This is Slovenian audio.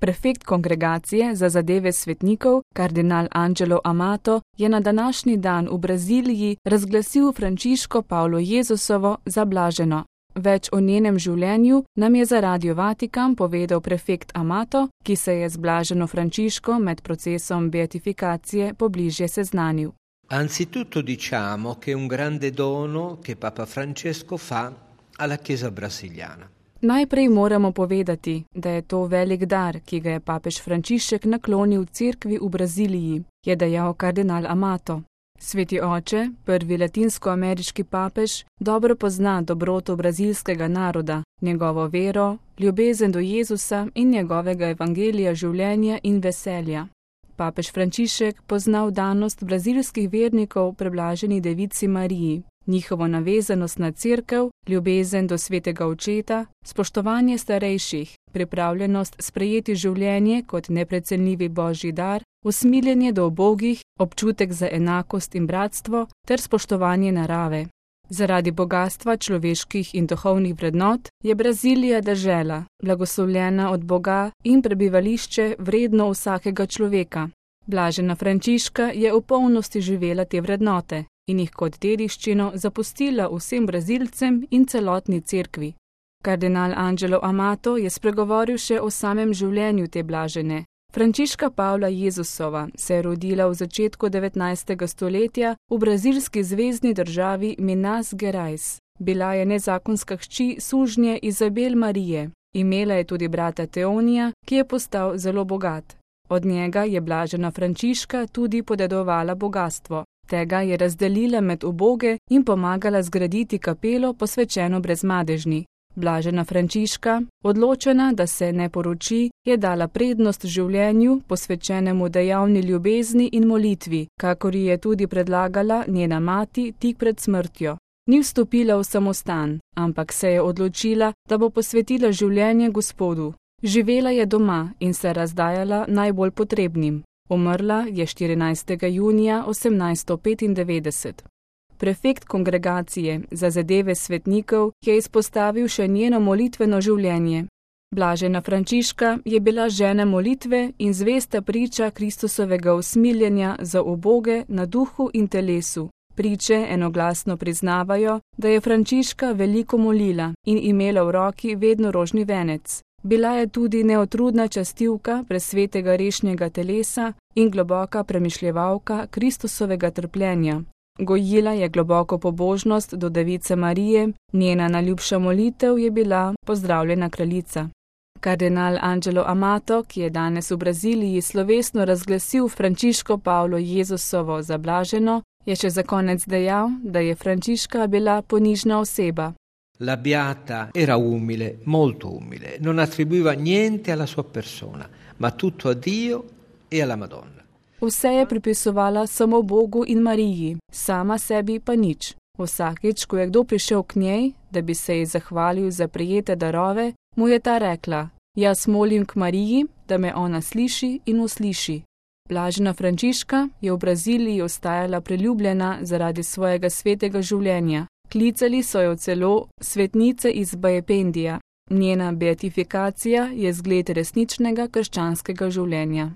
Prefekt kongregacije za zadeve svetnikov, kardinal Angelo Amato, je na današnji dan v Braziliji razglasil Frančiško Pavlo Jezusovo za blaženo. Več o njenem življenju nam je za Radio Vatikan povedal prefekt Amato, ki se je z blaženo Frančiško med procesom beatifikacije pobližje seznanil. Anzitutto diciamo che è un grande dono che Papa Francesco fa alla Chiesa brasiliana. Najprej moramo povedati, da je to velik dar, ki ga je papež Frančišek naklonil cerkvi v Braziliji, je dejal kardinal Amato. Sveti oče, prvi latinsko-ameriški papež, dobro pozna dobroto brazilskega naroda, njegovo vero, ljubezen do Jezusa in njegovega evangelija življenja in veselja. Papež Frančišek pozna vdanost brazilskih vernikov preblaženi devici Mariji, njihovo navezanost na cerkev, ljubezen do svetega očeta, spoštovanje starejših, pripravljenost sprejeti življenje kot neprecenljivi božji dar, usmiljenje do ubogih, občutek za enakost in bratstvo ter spoštovanje narave. Zaradi bogastva človeških in duhovnih vrednot je Brazilija dežela, blagoslovljena od Boga in prebivališče vredno vsakega človeka. Blažena Frančiška je v polnosti živela te vrednote in jih kot dediščino zapustila vsem Brazilcem in celotni cerkvi. Kardinal Angelo Amato je spregovoril še o samem življenju te blažene. Frančiška Pavla Jezusova se je rodila v začetku 19. stoletja v brazilski zvezni državi Minas Gerais. Bila je nezakonska hči sužnje Izabel Marije. Imela je tudi brata Teonija, ki je postal zelo bogat. Od njega je blažena Frančiška tudi podedovala bogastvo. Tega je razdelila med uboge in pomagala zgraditi kapelo posvečeno Brezmadežni. Blažena Frančiška, odločena, da se ne poroči, je dala prednost življenju, posvečenemu dejavni ljubezni in molitvi, kakor ji je tudi predlagala njena mati tik pred smrtjo. Ni vstopila v samostan, ampak se je odločila, da bo posvetila življenje Gospodu. Živela je doma in se razdajala najbolj potrebnim. Umrla je 14. junija 1895. Prefekt kongregacije za zadeve svetnikov je izpostavil še njeno molitveno življenje. Blažena Frančiška je bila žena molitve in zvesta priča Kristusovega usmiljenja za uboge na duhu in telesu. Priče enoglasno priznavajo, da je Frančiška veliko molila in imela v roki vedno rožni venec. Bila je tudi neotrudna častivka presvetega rešnjega telesa in globoka premišljevalka Kristusovega trpljenja. Gojila je globoko pobožnost do device Marije, njena najljubša molitev je bila Pozdravljena kraljica. Kardinal Angelo Amato, ki je danes v Braziliji slovesno razglasil Frančiško Pavlo Jezusovo za blaženo, je še za konec dejal, da je Frančiška bila ponižna oseba. La beata era umile, molto umile, non attribuiva niente alla sua persona, ma tutto a Dio e alla Madonna. Vse je pripisovala samo Bogu in Mariji, sama sebi pa nič. Vsakič, ko je kdo prišel k njej, da bi se ji zahvalil za prejete darove, mu je ta rekla: jaz molim k Mariji, da me ona sliši in usliši. Blažena Frančiška je v Braziliji ostajala priljubljena zaradi svojega svetega življenja. Klicali so jo celo svetnice iz Bajependija. Njena beatifikacija je zgled resničnega krščanskega življenja.